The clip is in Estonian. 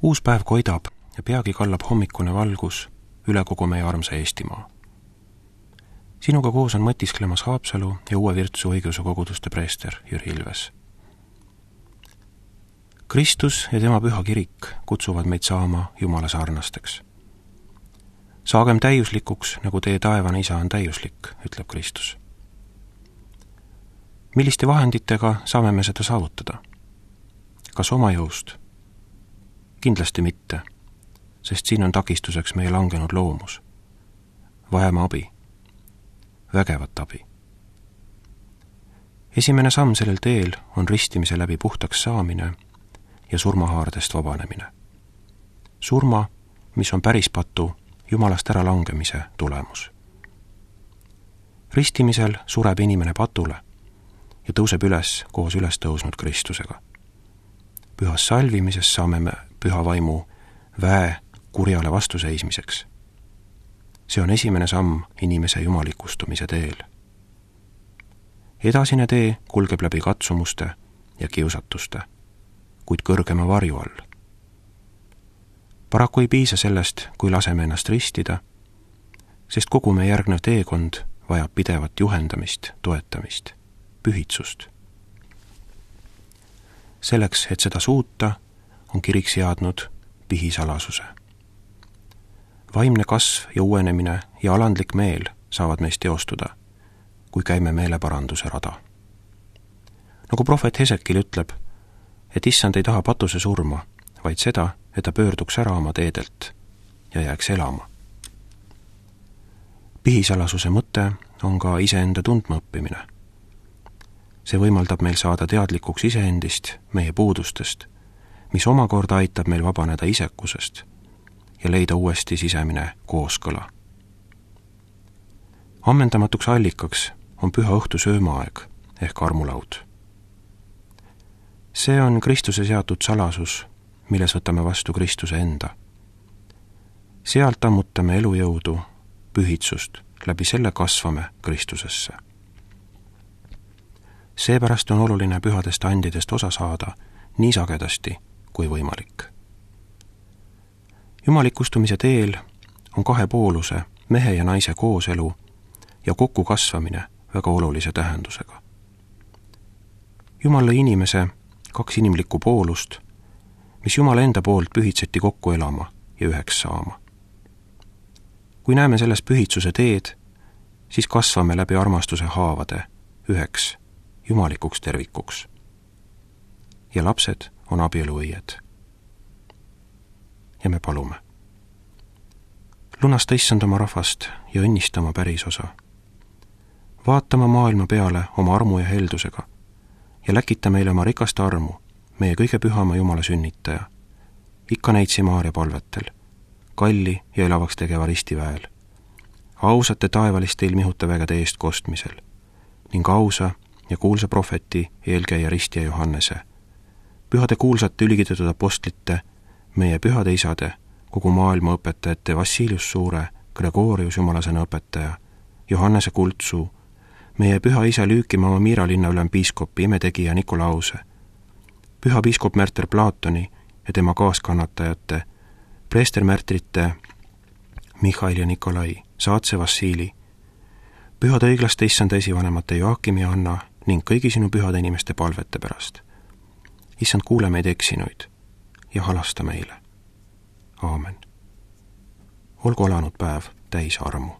Uus päev koidab ja peagi kallab hommikune valgus üle kogu meie armsa Eestimaa. Sinuga koos on mõtisklemas Haapsalu ja Uue Virtsu õigeusu koguduste preester Jüri Ilves. Kristus ja tema püha kirik kutsuvad meid saama Jumala sarnasteks. Saagem täiuslikuks, nagu teie taevane isa on täiuslik, ütleb Kristus. Milliste vahenditega saame me seda saavutada? Kas oma jõust? Kindlasti mitte, sest siin on takistuseks meie langenud loomus. Vajame abi. Vägevat abi. Esimene samm sellel teel on ristimise läbi puhtaks saamine ja surmahaardest vabanemine. Surma, mis on päris patu Jumalast ära langemise tulemus. Ristimisel sureb inimene patule ja tõuseb üles koos üles tõusnud Kristusega. Pühas salvimises saame me püha vaimu väe kurjale vastuseismiseks. See on esimene samm inimese jumalikustumise teel. Edasine tee kulgeb läbi katsumuste ja kiusatuste, kuid kõrgema varju all. Paraku ei piisa sellest, kui laseme ennast ristida, sest kogu meie järgnev teekond vajab pidevat juhendamist, toetamist, pühitsust. Selleks, et seda suuta, on kirik seadnud pihisalasuse. Vaimne kasv ja uuenemine ja alandlik meel saavad meist teostuda, kui käime meeleparanduse rada. Nagu prohvet Hesekil ütleb, et issand ei taha patuse surma, vaid seda, et ta pöörduks ära oma teedelt ja jääks elama. Pihisalasuse mõte on ka iseenda tundma õppimine. See võimaldab meil saada teadlikuks iseendist, meie puudustest, mis omakorda aitab meil vabaneda isekusest ja leida uuesti sisemine kooskõla. Ammendamatuks allikaks on püha õhtu söömaaeg ehk armulaud. See on Kristuse seatud salasus, milles võtame vastu Kristuse enda. Sealt ammutame elujõudu, pühitsust, läbi selle kasvame Kristusesse. Seepärast on oluline pühadest andidest osa saada nii sagedasti kui võimalik. Jumalikustumise teel on kahepooluse, mehe ja naise kooselu ja kokku kasvamine väga olulise tähendusega. Jumal lõi inimese kaks inimlikku poolust, mis Jumala enda poolt pühitseti kokku elama ja üheks saama. Kui näeme selles pühitsuse teed, siis kasvame läbi armastuse haavade üheks jumalikuks tervikuks. Ja lapsed on abieluõied. Ja me palume. Lunasta issand oma rahvast ja õnnista oma pärisosa. Vaatama maailma peale oma armu ja heldusega ja läkita meile oma rikast armu, meie kõige pühama Jumala sünnitaja, ikka neitsi Maaria palvetel, kalli ja elavaks tegeva ristiväel, ausate taevaliste ilmihuta vägede eest kostmisel ning ausa ja kuulsa prohveti eelkäija ristija Johannese, pühade kuulsate ülikitatud apostlite, meie pühade isade, kogu maailma õpetajate Vassilius Suure, Gregorius Jumalasõna õpetaja, Johannese Kultsuu, meie püha isa Lüükimaa Miira linna ülempiiskopi imetegija Nikolause, püha piiskop Märter Platoni ja tema kaaskannatajate, preestermärtrite Mihhail ja Nikolai, saatse Vassili, pühade õiglaste issanda esivanemate Joakim ja Anna ning kõigi sinu pühade inimeste palvete pärast. Issand, kuule meid eksinuid ja halasta meile. Aamen. Olgu alanud päev täis armu.